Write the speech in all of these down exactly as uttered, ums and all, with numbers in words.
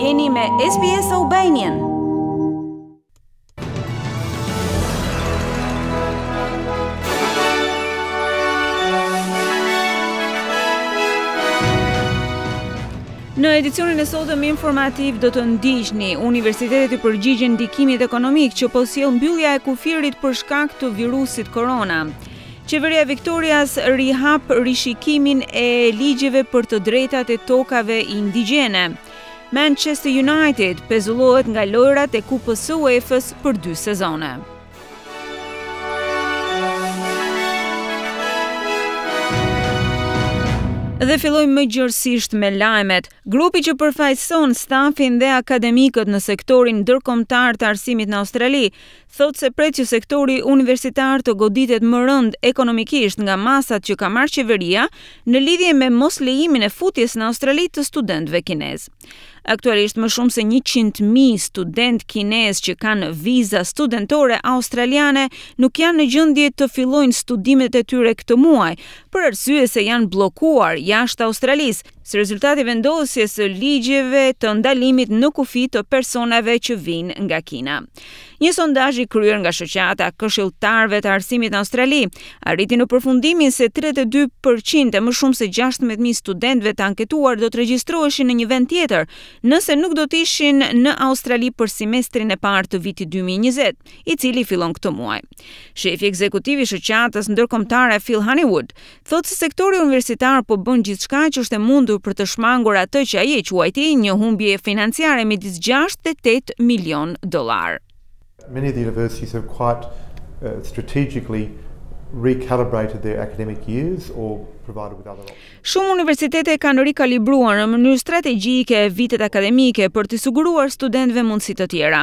Jeni me S B S Albanian. Në edicionin e sotëm informativ do të ndiqni: universitetet i përgjigjen ndikimit ekonomik që po sjell mbyllja e kufirit për shkak të virusit korona. Qeveria e Victorias rihap rishikimin e ligjeve për të drejtat e tokave indigjene. Manchester United pezullohet nga lojrat e Kupës së UEFA-s për dy sezone. Dhe fillojmë më gjërësisht me lajmet. Grupi që përfaqëson stafin dhe akademikët në sektorin ndërkombëtar të arsimit në Australi thotë se pret që sektori universitar të goditet më rënd ekonomikisht nga masat që ka marrë qeveria në lidhje me moslejimin e futjes në Australi të studentëve kinez. Aktualisht, më shumë se njëqind mijë student kinez që kanë viza studentore australiane nuk janë në gjendje të fillojnë studimet e tyre këtë muaj, për arsye se janë bllokuar jashtë Australisë, si rezultat i vendosjes së ligjeve të ndalimit në kufi të personave që vijnë nga Kina. Një sondazh i kryer nga shoqata këshilltarëve të arsimit në Australi arriti në përfundimin se tridhjetë e dy përqind e më shumë se gjashtëmbëdhjetë mijë studentëve të anketuar do të regjistroheshin në një vend tjetër, nëse nuk do të ishin në Australi për semestrin e parë të vitit dy mijë e njëzet, i cili fillon këtë muaj. Shefi ekzekutiv i shoqatës ndërkombëtare, Phil Honeywood, thotë se sektori universitar po bën gjithçka që është e mundur për të shmangur atë që ai e quajti një humbje financiare midis gjashtë dhe tetë milion dollar. Many of the universities have quite uh, strategically recalibrated their academic years or provided with other options. Shumë universitete kanë rikalibruar në mënyrë strategjike vitet akademike për të siguruar studentëve mundësi të tjera.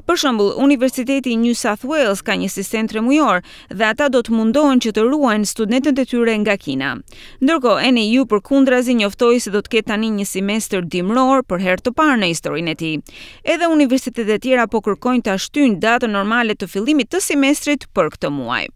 Për shembull, Universiteti i New South Wales ka një sistem tremujor dhe ata do të mundohen që të ruajnë studentët e tyre nga Kina. Ndërkohë, N A U përkundrazi njoftoi se do të ketë tani një semestër dimror për herë të parë në historinë e tij. Edhe universitetet e tjera po kërkojnë ta shtyjnë datën normale të fillimit të semestrit për këtë muaj.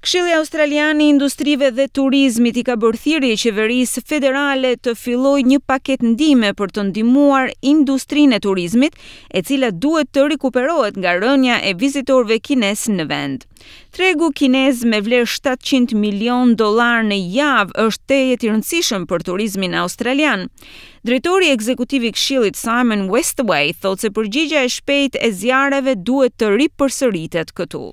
Këshilli Australian i Industrive dhe Turizmit i ka bërë thirrje qeverisë federale të fillojë një paket ndihme për të ndihmuar industrinë e turizmit, e cila duhet të rikuperohet nga rënia e vizitorëve kinez në vend. Tregu kinez me vlerë shtatëqind milion dollar në javë është tejet i rëndësishëm për turizmin australian. Drejtori ekzekutiv i Këshillit, Simon Westaway, thotë se përgjigja e shpejtë e zjarreve duhet të ripërsëritet këtu.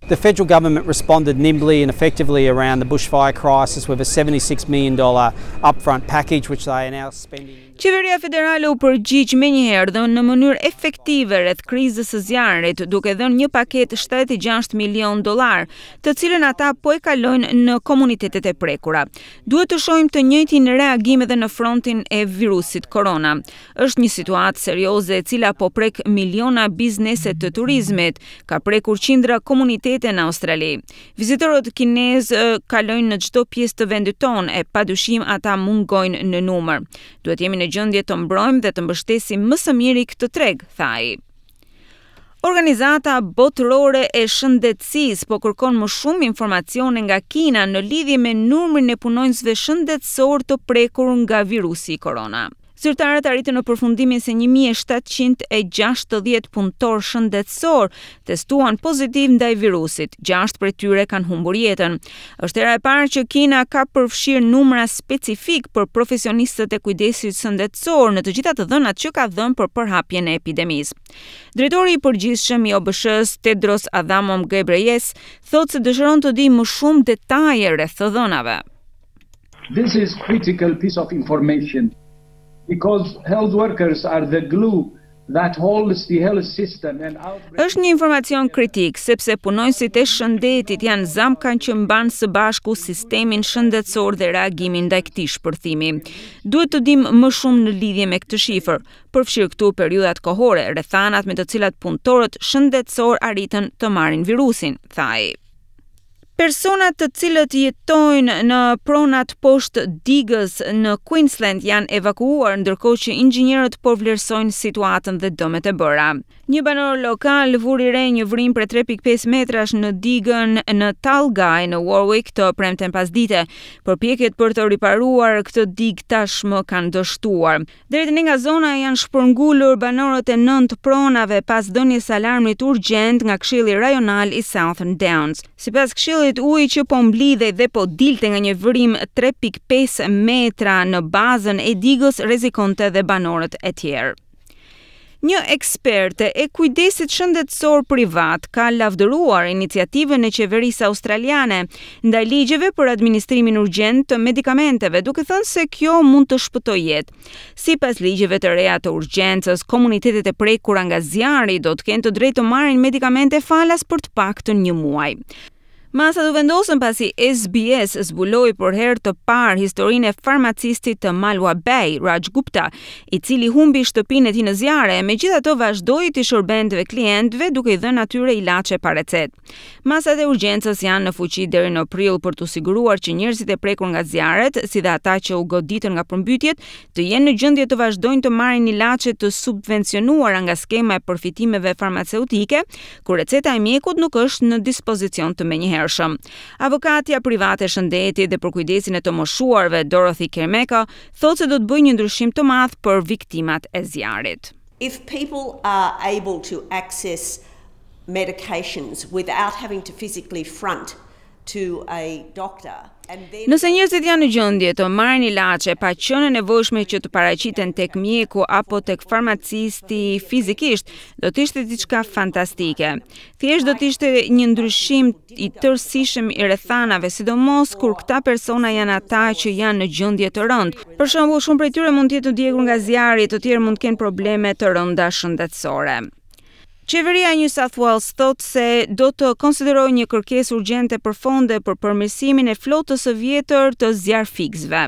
The federal government responded nimbly and effectively around the bushfire crisis with a seventy-six million dollars upfront package, which they are now spending. Qeveria federale u përgjigj menjëherë dhe në mënyrë efektive rreth krizës së zjarrit, duke dhënë një paketë shtatëdhjetë e gjashtë milion dollar, të cilën ata po e kalojnë në komunitetet e prekura. Duhet të shohim të njëjtin reagim edhe në frontin e virusit korona. Është një situatë serioze, e cila po prek miliona biznese të turizmit, ka prekur qindra komunitete në Australi. Vizitorët kinez kalojnë në çdo pjesë të vendit tonë e padyshim ata mungojnë në numër. Duhet jemi në gjendje të mbrojmë dhe të mbështesim më së miri këtë treg, tha ai. Organizata Botërore e Shëndetësisë po kërkon më shumë informacione nga Kina në lidhje me numrin e punonjësve shëndetësor të prekur nga virusi korona. Zyrtarët arritën në përfundimin se një mijë e shtatëqind e gjashtëdhjetë punëtor shëndetësor testuan pozitiv ndaj virusit. Gjashtë prej tyre kanë humbur jetën. Është hera e parë që Kina ka përfshirë numra specifik për profesionistët e kujdesit shëndetësor në të gjitha të dhënat që ka dhënë për përhapjen e epidemisë. Drejtori i përgjithshëm i O B S-s, Tedros Adhanom Ghebreyesus, thotë se dëshiron të dijë më shumë detaje rreth të dhënave. This is critical piece of information because health workers are the glue that holds the health system and outbreak. Është një informacion kritik, sepse punonjësit e shëndetit janë zamka që mban së bashku sistemin shëndetësor dhe reagimin ndaj këtij shpërthimi. Duhet të dim më shumë në lidhje me këtë shifër, përfshirë këtu periudhat kohore, rrethanat me të cilat punëtorët shëndetësor arritën të marrin virusin, tha ai. Personat të cilët jetojnë në pronat poshtë digës në Queensland janë evakuuar, ndërkohë që inxhinierët po vlerësojnë situatën dhe dëmet e bëra. Një banor lokal vuri re një vrimë prej tre pikë pesë metrash në digën në Talgai në Warwick të premten pasdite. Përpjekjet për të riparuar këtë digë tashmë kanë dështuar. Deri tani nga zona janë shpërngulur banorët e nëntë pronave pas dhënies së alarmit urgjent nga Këshilli Rajonal i Southern Downs. Sipas këshillit, uji që po mblidhej dhe po dilte nga një vrimë tre pikë pesë metra në bazën e digës rrezikonte dhe banorët e tjerë. Një eksperte e kujdesit shëndetësor privat ka lavdëruar iniciativën e qeverisë australiane ndaj ligjeve për administrimin urgjent të medikamenteve, duke thënë se kjo mund të shpëtojë jetë. Sipas ligjeve të reja të urgjencës, komunitetet e prekura nga zjarri do të kenë të drejtë të marrin medikamente falas për të paktën një muaj. Masat u vendosën pasi S B S zbuloi për herë të parë historinë e farmacistit të Mulwa Bay, Raj Gupta, i cili humbi shtëpinë e tij në zjarre, megjithatë vazhdoi të shërbente klientëve duke i dhënë atyre ilaçe pa recetë. Masat e urgjencës janë në fuqi deri në prill për të siguruar që njerëzit e prekur nga zjarret, si dhe ata që u goditën nga përmbytjet, të jenë në gjendje të vazhdojnë të marrin ilaçe të subvencionuara nga skema e përfitimeve farmaceutike, kur receta e mjekut nuk është në dispozicion të menjëhershëm menjëhershëm. Avokatja private e shëndetit dhe për kujdesin e të moshuarve Dorothy Kermeka thotë se do të bëjë një ndryshim të madh për viktimat e zjarrit. If people are able to access medications without having to physically front to a doctor. Nëse njerëzit janë në gjendje të marrin ilaçe pa qenë e nevojshme që të paraqiten tek mjeku apo tek farmacisti fizikisht, do të ishte diçka fantastike. Thjesht do të ishte një ndryshim i tërësishëm i rrethanave, sidomos kur këta persona janë ata që janë në gjendje të rëndë. Për shembull, shumë prej tyre mund të jetë të djegur nga zjarri, të tjerë mund të kenë probleme të rënda shëndetësore. Qeveria e New South Wales thotë se do të konsiderojë një kërkesë urgjente për fonde për përmirësimin e flotës së vjetër të zjarrfikësve.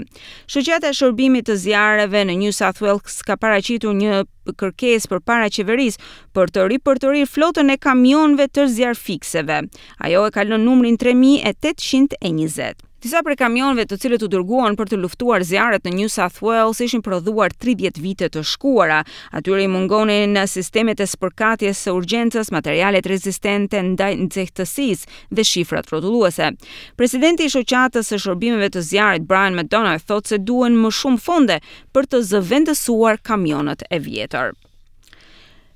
Shoqata e Shërbimit të Zjarreve në New South Wales ka paraqitur një kërkesë përpara qeverisë për të ripërtërirë flotën e kamionëve të zjarrfikësve. Ajo e kalon numrin tre mijë e tetëqind e njëzet. Disa prej kamionëve të cilët u dërguan për të luftuar zjarret në New South Wales ishin prodhuar tridhjetë vite të shkuara. Atyre i mungonin sistemet e spërkatjes së urgjencës, materialet rezistente ndaj nxehtësisë dhe shifrat rrotulluese. Presidenti i shoqatës së shërbimeve të zjarrit Brian McDonough thotë se duhen më shumë fonde për të zëvendësuar kamionët e vjetër.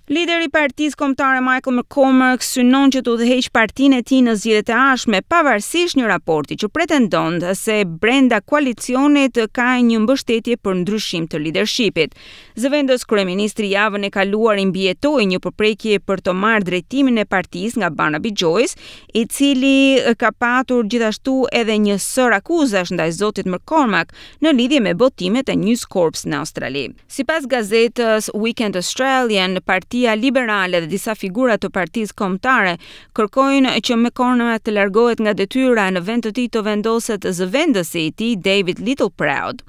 Lideri i Partisë Kombëtare Michael McCormack synon që të udhëheqë partinë e tij në zgjedhjet e ardhshme, pavarësisht një raporti që pretendon se brenda koalicionit ka një mbështetje për ndryshim të leadershipit. Zëvendës kryeministri javën e kaluar i mbijetoi një përpjekje për të marrë drejtimin e partisë nga Barnaby Joyce, i cili ka patur gjithashtu edhe një sër akuzash ndaj zotit McCormack në lidhje me botimet e News Corp në Australi. Sipas gazetës Weekend Australian, Partia Liberale dhe disa figura të Partisë Kombëtare kërkojnë që McCormack të largohet nga detyra, në vend të tij të vendoset zëvendësi i tij David Littleproud.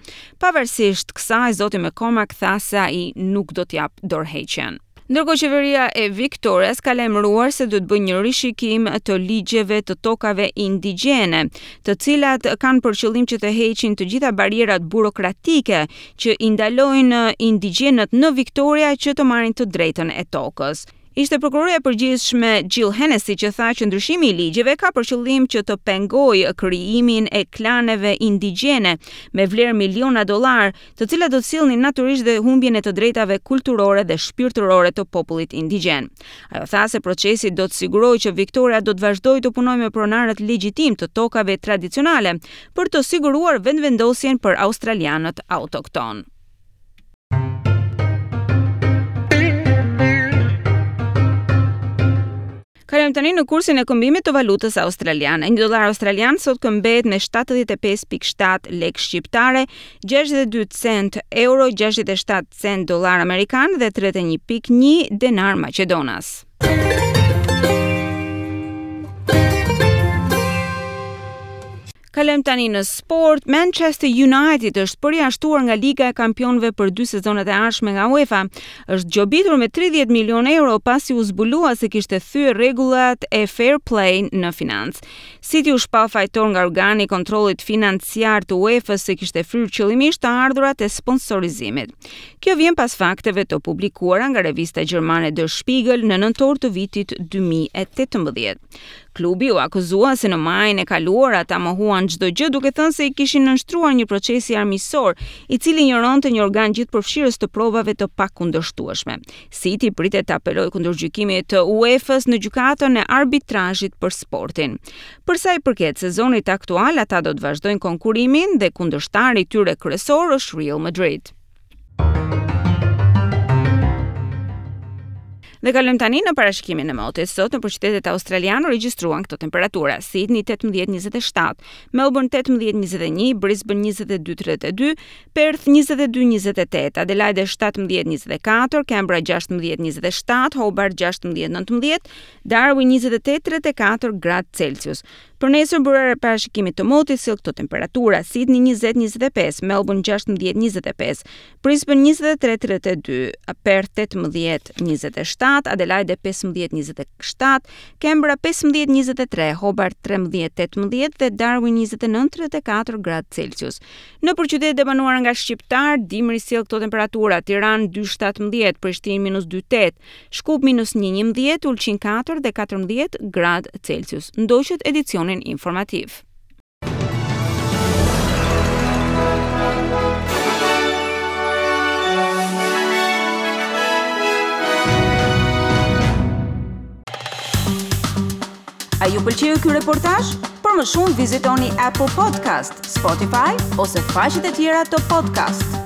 Pavarësisht kësaj, zoti McCormack tha se ai nuk do të jap dorëheqjen. Ndërkohë, qeveria e Victorias ka lajmëruar se do të bëjë një rishikim të ligjeve të tokave indigjene, të cilat kanë për qëllim që të heqin të gjitha barrierat burokratike që i ndalojnë indigjenët në Victoria që të marrin të drejtën e tokës. Ishte prokuroria e përgjithshme Jill Hennessy që tha që ndryshimi i ligjeve ka për qëllim që të pengojë krijimin e klaneve indigjene me vlerë miliona dollar, të cilat do të sillnin natyrisht dhe humbjen e të drejtave kulturore dhe shpirtërore të popullit indigjen. Ajo tha se procesi do të sigurojë që Victoria do të vazhdojë të punojë me pronarët legjitim të tokave tradicionale për të siguruar vendvendosjen për australianët autokton. Kalojmë tani në kursin e këmbimit të valutës australiane. Një dollar australian sot këmbehet me shtatëdhjetë e pesë pikë shtatë lekë shqiptare, gjashtëdhjetë e dy cent euro, gjashtëdhjetë e shtatë cent dollar amerikan dhe tridhjetë e një pikë një denar maqedonas. Kalojmë tani në sport. Manchester United është përjashtuar nga Liga e Kampionëve për dy sezonet e ardhshme nga UEFA. Është gjobitur me tridhjetë milion euro pasi u zbulua se kishte thyer rregullat e fair play në financë. City u shpall fajtor nga organi i kontrollit financiar të UEFA se kishte fryrë qëllimisht të ardhurat e sponsorizimit. Kjo vjen pas fakteve të publikuara nga revista gjermane Der Spiegel në nëntor të vitit dy mijë e tetëmbëdhjetë. Klubi u akuzua se në majin e kaluar ata mohuan çdo gjë, duke thënë se i kishin nënshtruar një procesi armiqësor, i cili injoronte një organ gjithëpërfshirës të provave të pakundërshtueshme. City pritet të apelojë kundër gjykimit të UEFA-s në gjykatën e arbitrazhit për sportin. Për sa i përket sezonit aktual, ata do të vazhdojnë konkurimin dhe kundërshtari i tyre kryesor është Real Madrid. Dhe kalojmë tani në parashikimin e motit. Sot në qytetet australiane u regjistruan këto temperatura: Sydney tetëmbëdhjetë njëzet e shtatë, Melbourne tetëmbëdhjetë njëzet e një, Brisbane njëzet e dy tridhjetë e dy, Perth njëzet e dy njëzet e tetë, Adelaide shtatëmbëdhjetë njëzet e katër, Canberra gjashtëmbëdhjetë njëzet e shtatë, Hobart gjashtëmbëdhjetë nëntëmbëdhjetë, Darwin njëzet e tetë tridhjetë e katër gradë Celsius. Për nesër, byroja e parashikimit të motit sjell këto temperatura: Sydney njëzet njëzet e pesë, Melbourne gjashtëmbëdhjetë njëzet e pesë, Brisbane njëzet e tre tridhjetë e dy, Perth tetëmbëdhjetë njëzet e shtatë, Adelaide pesëmbëdhjetë njëzet e shtatë, Canberra pesëmbëdhjetë njëzet e tre, Hobart trembëdhjetë tetëmbëdhjetë dhe Darwin njëzet e nëntë tridhjetë e katër gradë Celsius. Nëpër qytetet e banuara nga shqiptar, dimri sjell këto temperatura: Tiranë dy shtatëmbëdhjetë, Prishtinë minus dy tetë, Shkup minus një njëmbëdhjetë, Ulqin katër dhe katërmbëdhjetë gradë Celsius. Ndoqët edicionin informativ. A ju pëlqeu ky reportazh? Për më shumë vizitoni Apple Podcast, Spotify ose faqet e tjera të podcast.